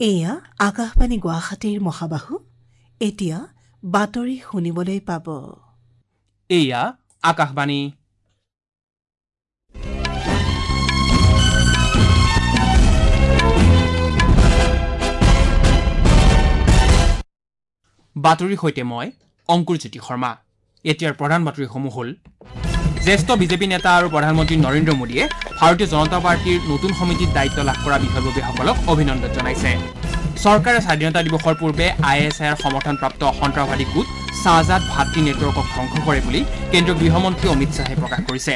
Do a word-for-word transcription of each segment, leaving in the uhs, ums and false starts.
এয়া আকাশবাণী গুৱাহাটীৰ মহাবাহু। এতিয়া বাতৰি শুনিবলৈ পাব। এয়া আকাশবাণী। বাতৰিৰ সৈতে মই অংকুৰজ্যোতি শৰ্মা। এতিয়াৰ প্ৰধান বাতৰিসমূহ হ'ল: জ্যেষ্ঠ বিজেপি নেতা আৰু প্ৰধানমন্ত্ৰী নৰেন্দ্ৰ মোদীয়ে ভাৰতীয় জনতা পাৰ্টীৰ নতুন সমিতিত দায়িত্ব লাভ কৰা বিষয়ববীয়াসকলক অভিনন্দন জনাইছে। চৰকাৰে স্বাধীনতা দিৱসৰ পূৰ্বে I S আইৰ সমৰ্থনপ্ৰাপ্ত সন্ত্ৰাসবাদী গোট শ্বাহজাদ ভাট্টি নেটৱৰ্কক ধ্বংস কৰে বুলি কেন্দ্ৰীয় গৃহমন্ত্ৰী অমিত শ্বাহে প্ৰকাশ কৰিছে।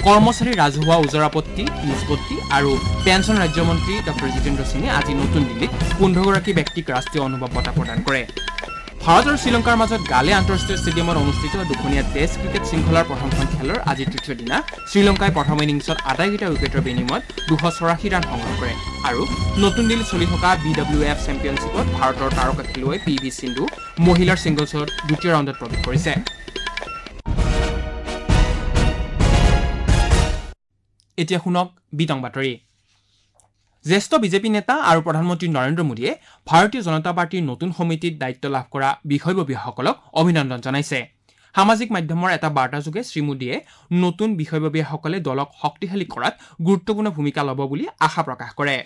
কৰ্মচাৰী ৰাজহুৱা ওজৰ আপত্তি নিষ্পত্তি আৰু পেঞ্চন ৰাজ্যমন্ত্ৰী ডক্টৰ জিতেন্দ্ৰ সিঙে আজি নতুন দিল্লীত পোন্ধৰগৰাকী ব্যক্তিক ৰাষ্ট্ৰীয় অনুভৱ বঁটা প্ৰদান কৰে। ভাৰত আৰু শ্ৰীলংকাৰ মাজত গালে আন্তঃৰাষ্ট্ৰীয় ষ্টেডিয়ামত অনুষ্ঠিত দুখনীয়া টেষ্ট ক্ৰিকেট শৃংখলাৰ প্ৰথমখন খেলৰ আজি তৃতীয় দিনা শ্ৰীলংকাই প্ৰথম ইনিংছত আটাইকেইটা উইকেটৰ বিনিময়ত দুশ চৌৰাশী ৰান সংগ্ৰহ কৰে। আৰু নতুন দিল্লীত চলি থকা বি ডব্লিউ এফ চেম্পিয়নশ্বিপত ভাৰতৰ তাৰকা খেলুৱৈ পি ভি সিন্ধু মহিলাৰ ছিংগলছত দ্বিতীয় ৰাউণ্ডত প্ৰৱেশ কৰিছে। এতিয়া শুনক বিতং বাতৰি। জ্যেষ্ঠ বিজেপি নেতা আৰু প্ৰধানমন্ত্ৰী নৰেন্দ্ৰ মোদীয়ে ভাৰতীয় জনতা পাৰ্টীৰ নতুন সমিতিত দায়িত্ব লাভ কৰা বিষয়ববীয়াসকলক অভিনন্দন জনাইছে। সামাজিক মাধ্যমৰ এটা বাৰ্তাযোগে শ্ৰীমোদীয়ে নতুন বিষয়ববীয়াসকলে দলক শক্তিশালী কৰাত গুৰুত্বপূৰ্ণ ভূমিকা ল'ব বুলি আশা প্ৰকাশ কৰে।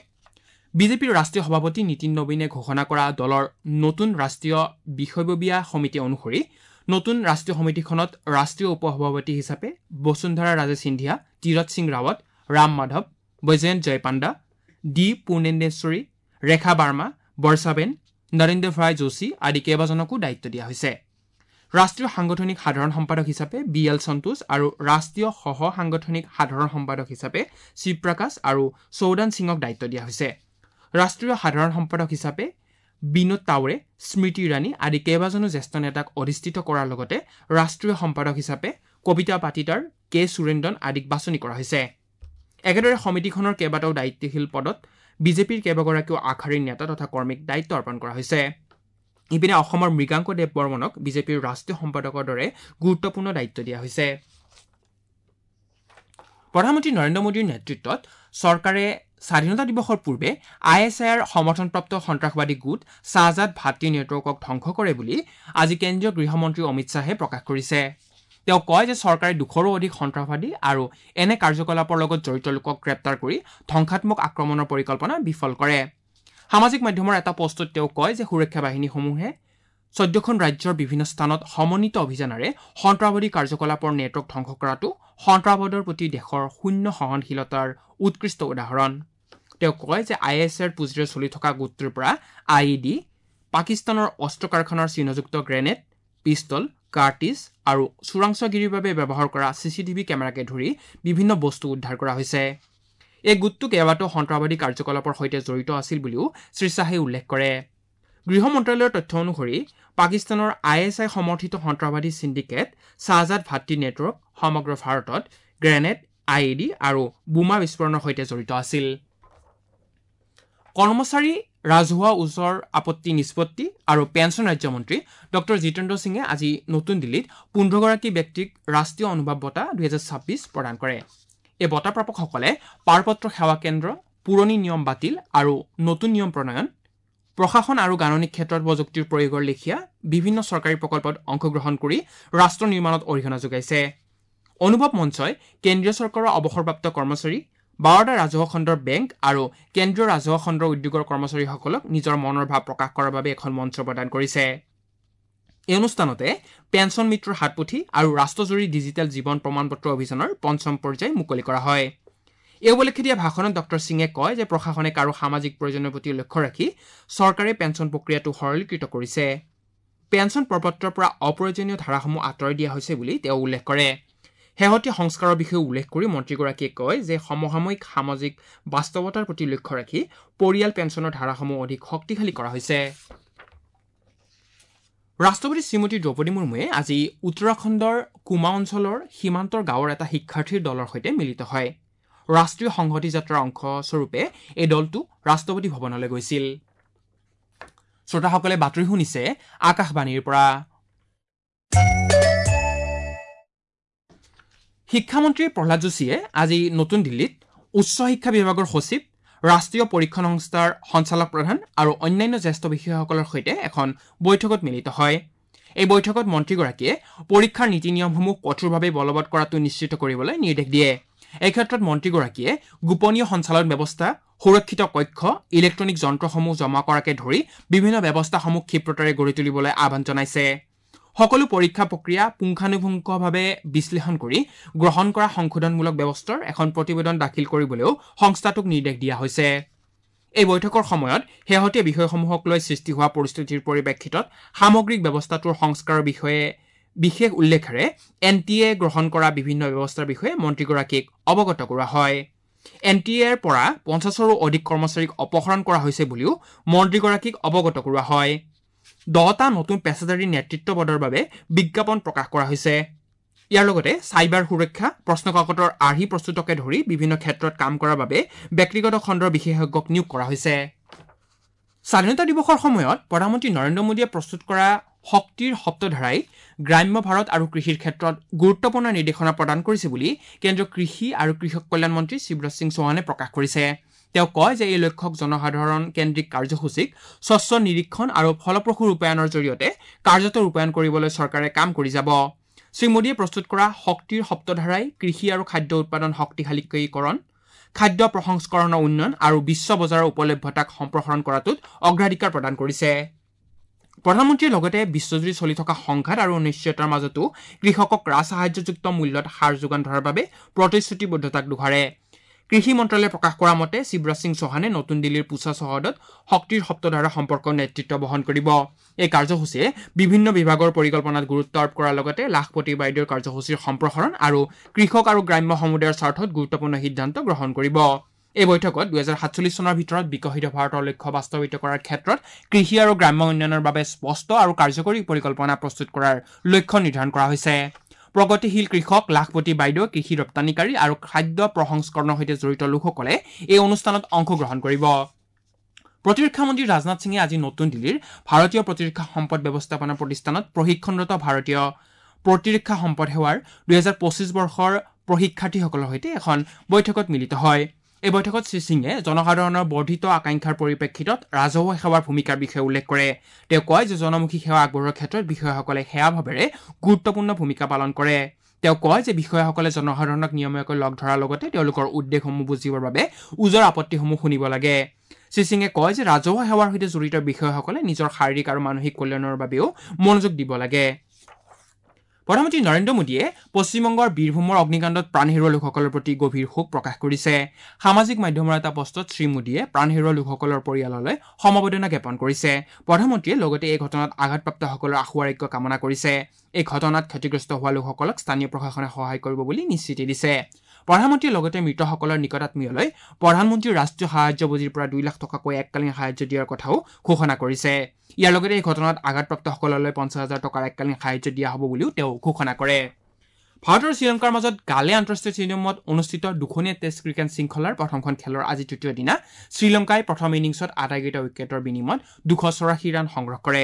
বিজেপিৰ ৰাষ্ট্ৰীয় সভাপতি নীতিন নবীনে ঘোষণা কৰা দলৰ নতুন ৰাষ্ট্ৰীয় বিষয়ববীয়া সমিতি অনুসৰি নতুন ৰাষ্ট্ৰীয় সমিতিখনত ৰাষ্ট্ৰীয় উপ-সভাপতি হিচাপে বসুন্ধৰা ৰাজে সিন্ধিয়া, তীৰথ সিং ৰাৱত, ৰাম মাধৱ, বৈজয়ন্ত জয়পাণ্ডা, ডি পূৰ্ণেন্দ্ৰেশ্বৰী, ৰেখা বাৰ্মা, বৰ্ষাবেন, নৰেন্দ্ৰ ভাই যোশী আদি কেইবাজনকো দায়িত্ব দিয়া হৈছে। ৰাষ্ট্ৰীয় সাংগঠনিক সাধাৰণ সম্পাদক হিচাপে বি এল সন্তোষ আৰু ৰাষ্ট্ৰীয় সহ সাংগঠনিক সাধাৰণ সম্পাদক হিচাপে শিৱপ্ৰকাশ আৰু সৌদান সিঙক দায়িত্ব দিয়া হৈছে। ৰাষ্ট্ৰীয় সাধাৰণ সম্পাদক হিচাপে বিনোদ তাৱৰে, স্মৃতি ইৰাণী আদি কেইবাজনো জ্যেষ্ঠ নেতাক অধিষ্ঠিত কৰাৰ লগতে ৰাষ্ট্ৰীয় সম্পাদক হিচাপে কবিতা পাটিদাৰ, কে সুৰেন্দ্ৰন আদিক বাছনি কৰা হৈছে। একেদৰে সমিতিখনৰ কেইবাটাও দায়িত্বশীল পদত বিজেপিৰ কেইবাগৰাকীও আগশাৰীৰ নেতা তথা কৰ্মীক দায়িত্ব অৰ্পণ কৰা হৈছে। ইপিনে অসমৰ মৃগাংক দেৱ বৰ্মনক বিজেপিৰ ৰাষ্ট্ৰীয় সম্পাদকৰ দৰে গুৰুত্বপূৰ্ণ দায়িত্ব দিয়া হৈছে। প্ৰধানমন্ত্ৰী নৰেন্দ্ৰ মোদীৰ নেতৃত্বত চৰকাৰে স্বাধীনতা দিৱসৰ পূৰ্বে I S আইৰ সমৰ্থনপ্ৰাপ্ত সন্ত্ৰাসবাদী গোট শ্বাহজাদ ভাট্টি নেটৱৰ্কক ধ্বংস কৰে বুলি আজি কেন্দ্ৰীয় গৃহমন্ত্ৰী অমিত শ্বাহে প্ৰকাশ কৰিছে। তেওঁ কয় যে চৰকাৰে দুশৰো অধিক সন্ত্ৰাসবাদী আৰু এনে কাৰ্যকলাপৰ লগত জড়িত লোকক গ্ৰেপ্তাৰ কৰি ধ্বংসাত্মক আক্ৰমণৰ পৰিকল্পনা বিফল কৰে। সামাজিক মাধ্যমৰ এটা পোষ্টত তেওঁ কয় যে সুৰক্ষা বাহিনীসমূহে চৈধ্যখন ৰাজ্যৰ বিভিন্ন স্থানত সমন্বিত অভিযানেৰে সন্ত্ৰাসবাদী কাৰ্যকলাপৰ নেটৱৰ্ক ধ্বংস কৰাটো সন্ত্ৰাসবাদৰ প্ৰতি দেশৰ শূন্য সহনশীলতাৰ উৎকৃষ্ট উদাহৰণ। তেওঁ কয় যে I S আইৰ পুঁজিৰে চলি থকা গোটটোৰ পৰা I E D, পাকিস্তানৰ অস্ত্ৰ কাৰখানাৰ চিহ্নযুক্ত গ্ৰেনেড, পিষ্টল, কাৰ্টিজ আৰু চোৰাংচোৱাগিৰিৰ বাবে ব্যৱহাৰ কৰা চি চি টিভি কেমেৰাকে ধৰি বিভিন্ন বস্তু উদ্ধাৰ কৰা হৈছে। এই গোটটো কেইবাটাও সন্ত্ৰাসবাদী কাৰ্যকলাপৰ সৈতে জড়িত আছিল বুলিও শ্ৰীশ্বাহে উল্লেখ কৰে। গৃহ মন্ত্ৰালয়ৰ তথ্য অনুসৰি পাকিস্তানৰ I S I সমৰ্থিত সন্ত্ৰাসবাদী চিণ্ডিকেট শ্বাহজাদ ভাট্টি নেটৱৰ্ক সমগ্ৰ ভাৰতত গ্ৰেনেড, I E D আৰু বোমা বিস্ফোৰণৰ সৈতে জড়িত আছিল। কৰ্মচাৰী ৰাজহুৱা ওজৰ আপত্তি নিষ্পত্তি আৰু পেঞ্চন ৰাজ্যমন্ত্ৰী ডক্টৰ জিতেন্দ্ৰ সিঙে আজি নতুন দিল্লীত পোন্ধৰগৰাকী ব্যক্তিক ৰাষ্ট্ৰীয় অনুভৱ বঁটা দুহেজাৰ ছাব্বিছ প্ৰদান কৰে। এই বঁটা প্ৰাপকসকলে পাৰপত্ৰ সেৱা কেন্দ্ৰ, পুৰণি নিয়ম বাতিল আৰু নতুন নিয়ম প্ৰণয়ন, প্ৰশাসন আৰু গাণনিক ক্ষেত্ৰত প্ৰযুক্তিৰ প্ৰয়োগৰ লেখীয়া বিভিন্ন চৰকাৰী প্ৰকল্পত অংশগ্ৰহণ কৰি ৰাষ্ট্ৰ নিৰ্মাণত অৰিহণা যোগাইছে। অনুভৱ মঞ্চই কেন্দ্ৰীয় চৰকাৰৰ অৱসৰপ্ৰাপ্ত কৰ্মচাৰী, বাৰটা ৰাজহুৱা খণ্ডৰ বেংক আৰু কেন্দ্ৰীয় ৰাজহুৱা খণ্ডৰ উদ্যোগৰ কৰ্মচাৰীসকলক নিজৰ মনৰ ভাৱ প্ৰকাশ কৰাৰ বাবে এখন মঞ্চ প্ৰদান কৰিছে। এই অনুষ্ঠানতে পেঞ্চন মিত্ৰৰ হাতপুথি আৰু ৰাষ্ট্ৰজুৰি ডিজিটেল জীৱন প্ৰমাণপত্ৰ অভিযানৰ পঞ্চম পৰ্যায় মুকলি কৰা হয়। এই উপলক্ষে দিয়া ভাষণত ডক্টৰ সিঙে কয় যে প্ৰশাসনে কাৰো সামাজিক প্ৰয়োজনৰ প্ৰতি লক্ষ্য ৰাখি চৰকাৰে পেঞ্চন প্ৰক্ৰিয়াটো সৰলীকৃত কৰিছে। পেঞ্চন প্ৰপত্ৰৰ পৰা অপ্ৰয়োজনীয় ধাৰাসমূহ আঁতৰাই দিয়া হৈছে বুলি তেওঁ উল্লেখ কৰে। শেহতীয়া সংস্কাৰৰ বিষয়ে উল্লেখ কৰি মন্ত্ৰীগৰাকীয়ে কয় যে সমসাময়িক সামাজিক বাস্তৱতাৰ প্ৰতি লক্ষ্য ৰাখি পৰিয়াল পেঞ্চনৰ ধাৰাসমূহ অধিক শক্তিশালী কৰা হৈছে। ৰাষ্ট্ৰপতি শ্ৰীমতী দ্ৰৌপদী মুৰ্মুৱে আজি উত্তৰাখণ্ডৰ কুমা অঞ্চলৰ সীমান্তৰ গাঁৱৰ এটা শিক্ষাৰ্থীৰ দলৰ সৈতে মিলিত হয়। ৰাষ্ট্ৰীয় সংহতি যাত্ৰাৰ অংশস্বৰূপে এই দলটো ৰাষ্ট্ৰপতি ভৱনলৈ গৈছিল। শ্ৰোতাসকলে বাতৰি শুনিছে আকাশবাণীৰ পৰা। শিক্ষামন্ত্ৰী প্ৰহ্লাদ যোশীয়ে আজি নতুন দিল্লীত উচ্চ শিক্ষা বিভাগৰ সচিব, ৰাষ্ট্ৰীয় পৰীক্ষণ সংস্থাৰ সঞ্চালক প্ৰধান আৰু অন্যান্য জ্যেষ্ঠ বিষয়াসকলৰ সৈতে এখন বৈঠকত মিলিত হয়। এই বৈঠকত মন্ত্ৰীগৰাকীয়ে পৰীক্ষাৰ নীতি নিয়মসমূহ কঠোৰভাৱে বলবৎ কৰাটো নিশ্চিত কৰিবলৈ নিৰ্দেশ দিয়ে। এই ক্ষেত্ৰত মন্ত্ৰীগৰাকীয়ে গোপনীয় সঞ্চালন ব্যৱস্থা, সুৰক্ষিত কক্ষ, ইলেক্ট্ৰনিক যন্ত্ৰসমূহ জমা কৰাকে ধৰি বিভিন্ন ব্যৱস্থাসমূহ ক্ষিপ্ৰতাৰে গঢ়ি তুলিবলৈ আহ্বান জনাইছে। সকলো পৰীক্ষা প্ৰক্ৰিয়া পুংখানুপুংখভাৱে বিশ্লেষণ কৰি গ্ৰহণ কৰা সংশোধনমূলক ব্যৱস্থাৰ এখন প্ৰতিবেদন দাখিল কৰিবলৈও সংস্থাটোক নিৰ্দেশ দিয়া হৈছে। এই বৈঠকৰ সময়ত শেহতীয়া বিষয়সমূহক লৈ সৃষ্টি হোৱা পৰিস্থিতিৰ পৰিপ্ৰেক্ষিতত সামগ্ৰিক ব্যৱস্থাটোৰ সংস্কাৰৰ বিষয়ে বিশেষ উল্লেখেৰে এন টি এ গ্ৰহণ কৰা বিভিন্ন ব্যৱস্থাৰ বিষয়ে মন্ত্ৰীগৰাকীক অৱগত কৰোৱা হয়। এন টি এৰ পৰা পঞ্চাছৰো অধিক কৰ্মচাৰীক অপসাৰণ কৰা হৈছে বুলিও মন্ত্ৰীগৰাকীক অৱগত কৰোৱা হয়। দহটা নতুন পেছাদাৰী নেতৃত্ব পদৰ বাবে বিজ্ঞাপন প্ৰকাশ কৰা হৈছে। ইয়াৰ লগতে চাইবাৰ সুৰক্ষা, প্ৰশ্নকাকতৰ আৰ্হি প্ৰস্তুতকে ধৰি বিভিন্ন ক্ষেত্ৰত কাম কৰাৰ বাবে ব্যক্তিগত খণ্ডৰ বিশেষজ্ঞক নিয়োগ কৰা হৈছে। স্বাধীনতা দিৱসৰ সময়ত প্ৰধানমন্ত্ৰী নৰেন্দ্ৰ মোদীয়ে প্ৰস্তুত কৰা শক্তিৰ সপ্তধাৰাই গ্ৰাম্য ভাৰত আৰু কৃষিৰ ক্ষেত্ৰত গুৰুত্বপূৰ্ণ নিৰ্দেশনা প্ৰদান কৰিছে বুলি কেন্দ্ৰীয় কৃষি আৰু কৃষক কল্যাণ মন্ত্ৰী শিৱৰাজ সিং চৌহানে প্ৰকাশ কৰিছে। তেওঁ কয় যে এই লক্ষ্যক জনসাধাৰণ কেন্দ্ৰিক কাৰ্যসূচীক স্বচ্ছ নিৰীক্ষণ আৰু ফলপ্ৰসূ ৰূপায়ণৰ জৰিয়তে কাৰ্যত ৰূপায়ণ কৰিবলৈ চৰকাৰে কাম কৰি যাব। শ্ৰী মোদীয়ে প্ৰস্তুত কৰা শক্তিৰ সপ্তধাৰাই কৃষি আৰু খাদ্য উৎপাদন শক্তিশালীকৰণ, খাদ্য প্ৰসংস্কৰণৰ উন্নয়ন আৰু বিশ্ব বজাৰৰ উপলভ্যতাক সম্প্ৰসাৰণ কৰাটোত অগ্ৰাধিকাৰ প্ৰদান কৰিছে। প্ৰধানমন্ত্ৰীয়ে লগতে বিশ্বজুৰি চলি থকা সংঘাত আৰু অনিশ্চয়তাৰ মাজতো কৃষকক ৰাজসাহায্যযুক্ত মূল্যত সাৰ যোগান ধৰাৰ বাবে প্ৰতিশ্ৰুতিবদ্ধতাক দোহাৰে। কৃষি মন্ত্ৰালয়ে প্ৰকাশ কৰা মতে শিৱৰাজ সিং চৌহানে নতুন দিল্লীৰ পুছা চৌহদত শক্তিৰ সপ্তধাৰা সম্পৰ্কৰ নেতৃত্ব বহন কৰিব। এই কাৰ্যসূচীয়ে বিভিন্ন বিভাগৰ পৰিকল্পনাত গুৰুত্ব আৰোপ কৰাৰ লগতে লাখপতি বাইদেউৰ কাৰ্যসূচীৰ সম্প্ৰসাৰণ আৰু কৃষক আৰু গ্ৰাম্য সমুদায়ৰ স্বাৰ্থত গুৰুত্বপূৰ্ণ সিদ্ধান্ত গ্ৰহণ কৰিব। এই বৈঠকত দুহেজাৰ সাতচল্লিছ চনৰ ভিতৰত বিকশিত ভাৰতৰ লক্ষ্য বাস্তৱায়িত কৰাৰ ক্ষেত্ৰত কৃষি আৰু গ্ৰাম্য উন্নয়নৰ বাবে স্পষ্ট আৰু কাৰ্যকৰী পৰিকল্পনা প্ৰস্তুত কৰাৰ লক্ষ্য নিৰ্ধাৰণ কৰা হৈছে। প্ৰগতিশীল কৃষক, লাখপতি বাইদেউ, কৃষি ৰপ্তানিকাৰী আৰু খাদ্য প্ৰসংস্কৰণৰ সৈতে জড়িত লোকসকলে এই অনুষ্ঠানত অংশগ্ৰহণ কৰিব। প্ৰতিৰক্ষা মন্ত্ৰী ৰাজনাথ সিঙে আজি নতুন দিল্লীৰ ভাৰতীয় প্ৰতিৰক্ষা সম্পদ ব্যৱস্থাপনা প্ৰতিষ্ঠানত প্ৰশিক্ষণৰত ভাৰতীয় প্ৰতিৰক্ষা সম্পদ সেৱাৰ দুহেজাৰ পঁচিছ বৰ্ষৰ প্ৰশিক্ষাৰ্থীসকলৰ সৈতে এখন বৈঠকত মিলিত হয়। এই বৈঠকত শ্ৰী সিঙে জনসাধাৰণৰ বৰ্ধিত আকাংক্ষাৰ পৰিপ্ৰেক্ষিতত ৰাজহুৱা সেৱাৰ ভূমিকাৰ বিষয়ে উল্লেখ কৰে। তেওঁ কয় যে জনমুখী সেৱা আগবঢ়োৱাৰ ক্ষেত্ৰত বিষয়াসকলে সেৱাভাৱেৰে গুৰুত্বপূৰ্ণ ভূমিকা পালন কৰে। তেওঁ কয় যে বিষয়াসকলে জনসাধাৰণক নিয়মীয়াকৈ লগ ধৰাৰ লগতে তেওঁলোকৰ উদ্বেগসমূহ বুজিবৰ বাবে ওজৰ আপত্তিসমূহ শুনিব লাগে। শ্ৰী সিঙে কয় যে ৰাজহুৱা সেৱাৰ সৈতে জড়িত বিষয়াসকলে নিজৰ শাৰীৰিক আৰু মানসিক কল্যাণৰ বাবেও মনোযোগ দিব লাগে। প্ৰধানমন্ত্ৰী নৰেন্দ্ৰ মোদীয়ে পশ্চিমবংগৰ বীৰভূমৰ অগ্নিকাণ্ডত প্ৰাণ হেৰুওৱা লোকসকলৰ প্ৰতি গভীৰ শোক প্ৰকাশ কৰিছে। সামাজিক মাধ্যমৰ এটা পোষ্টত শ্ৰী মোদীয়ে প্ৰাণ হেৰুওৱা লোকসকলৰ পৰিয়াললৈ সমবেদনা জ্ঞাপন কৰিছে। প্ৰধানমন্ত্ৰীয়ে লগতে এই ঘটনাত আঘাতপ্ৰাপ্তসকলৰ আশু আৰোগ্য কামনা কৰিছে। এই ঘটনাত ক্ষতিগ্ৰস্ত হোৱা লোকসকলক স্থানীয় প্ৰশাসনে সহায় কৰিব বুলি নিশ্চিতি দিছে। প্ৰধানমন্ত্ৰীয়ে লগতে মৃতসকলৰ নিকটাত্মীয়লৈ প্ৰধানমন্ত্ৰীৰ ৰাষ্ট্ৰীয় সাহায্য পুঁজিৰ পৰা দুই লাখ টকাকৈ এককালীন সাহায্য দিয়াৰ কথাও ঘোষণা কৰিছে। ইয়াৰ লগতে এই ঘটনাত আঘাতপ্ৰাপ্তসকললৈ পঞ্চাছ হাজাৰ টকাৰ এককালীন সাহায্য দিয়া হ'ব বুলিও তেওঁ ঘোষণা কৰে। ভাৰত আৰু শ্ৰীলংকাৰ মাজত গালে আন্তঃৰাষ্ট্ৰীয় ষ্টেডিয়ামত অনুষ্ঠিত দুখনীয়া টেষ্ট ক্ৰিকেট শৃংখলাৰ প্ৰথমখন খেলৰ আজি তৃতীয় দিনা শ্ৰীলংকাই প্ৰথম ইনিংছত আটাইকেইটা উইকেটৰ বিনিময়ত দুশ চৌৰাশী ৰান সংগ্ৰহ কৰে।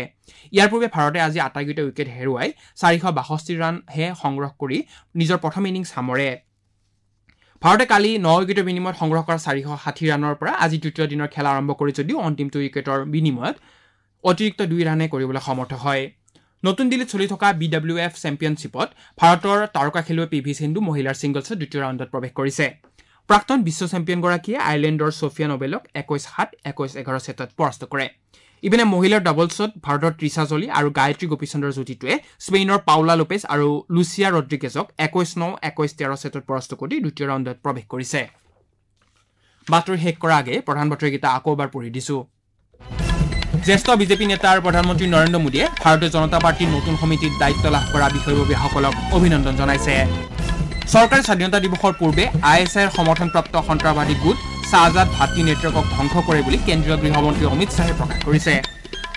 ইয়াৰ পূৰ্বে ভাৰতে আজি আটাইকেইটা উইকেট হেৰুৱাই চাৰিশ বাষষ্ঠি ৰানহে সংগ্ৰহ কৰি নিজৰ প্ৰথম ইনিংছ সামৰে। ভাৰতে কালি ন উইকেটৰ বিনিময়ত সংগ্ৰহ কৰা চাৰিশ ষাঠি ৰানৰ পৰা আজি তৃতীয় দিনৰ খেল আৰম্ভ কৰি যদিও অন্তিমটো উইকেটৰ বিনিময়ত অতিৰিক্ত দুই ৰানে কৰিবলৈ সমৰ্থ হয়। নতুন দিল্লীত চলি থকা বি ডাব্লিউ এফ চেম্পিয়নশ্বিপত ভাৰতৰ তাৰকা খেলুৱৈ পি ভি সিন্ধু মহিলাৰ ছিংগলছত দ্বিতীয় ৰাউণ্ডত প্ৰৱেশ কৰিছে। প্ৰাক্তন বিশ্ব চেম্পিয়নগৰাকীয়ে আয়াৰলেণ্ডৰ ছফিয়া নোবেলক একৈশ সাত, একৈশ এঘাৰ ছেটত পৰাস্ত কৰে। ইপিনে মহিলাৰ ডাবলছত ভাৰতৰ ত্ৰিশা জলি আৰু গায়ত্ৰী গোপীচন্দ্ৰৰ যুটিটোৱে স্পেইনৰ পাউলা লোপেজ আৰু লুচিয়া ৰড্ৰিগেজক একৈশ ন, একৈশ তেৰ ছেটত পৰাস্ত কৰি দ্বিতীয় ৰাউণ্ডত প্ৰৱেশ কৰিছে। বাতৰি শেষ কৰাৰ আগে প্ৰধান বাতৰিকেইটা আকৌ এবাৰ পঢ়ি দিছো। জ্যেষ্ঠ বিজেপি নেতা আৰু প্ৰধানমন্ত্ৰী নৰেন্দ্ৰ মোদীয়ে ভাৰতীয় জনতা পাৰ্টীৰ নতুন সমিতিত দায়িত্ব লাভ কৰা বিষয়ববীয়াসকলক অভিনন্দন জনাইছে। চৰকাৰে স্বাধীনতা দিৱসৰ পূৰ্বে I S আইৰ সমৰ্থনপ্ৰাপ্ত সন্ত্ৰাসবাদী গোট শ্বাহজাদ ভাটি নেটৱৰ্কক ধ্বংস কৰে বুলি কেন্দ্ৰীয় গৃহমন্ত্ৰী অমিত শ্বাহে প্ৰকাশ কৰিছে।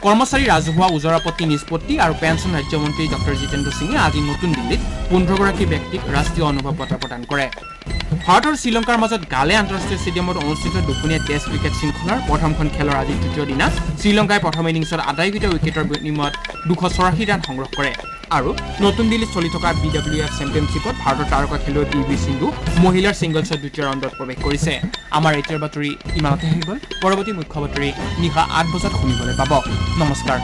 কৰ্মচাৰী ৰাজহুৱা ওজৰ আপত্তি নিষ্পত্তি আৰু পেঞ্চন ৰাজ্যমন্ত্ৰী ডক্টৰ জিতেন্দ্ৰ সিঙে আজি নতুন দিল্লীত পোন্ধৰগৰাকী ব্যক্তিক ৰাষ্ট্ৰীয় অনুভৱ বঁটা প্ৰদান কৰে। ভাৰত আৰু শ্ৰীলংকাৰ মাজত গালে আন্তঃৰাষ্ট্ৰীয় ষ্টেডিয়ামত অনুষ্ঠিত দুখনীয়া টেষ্ট ক্ৰিকেট শৃংখলাৰ প্ৰথমখন খেলৰ আজি তৃতীয় দিনা শ্ৰীলংকাই প্ৰথম ইনিংছত আটাইকেইটা উইকেটৰ বিনিময়ত দুশ চৌৰাশী ৰান সংগ্ৰহ কৰে। আৰু নতুন দিল্লীত চলি থকা বি ডব্লিউ এফ চেম্পিয়নশ্বিপত ভাৰতৰ তাৰকা খেলুৱৈ পি ভি সিন্ধু মহিলাৰ ছিংগলছত দ্বিতীয় ৰাউণ্ডত প্ৰৱেশ কৰিছে। আমাৰ এতিয়াৰ বাতৰি ইমানতে হৈ গ'ল। পৰৱৰ্তী মুখ্য বাতৰি নিশা আঠ বজাত শুনিবলৈ পাব। নমস্কাৰ।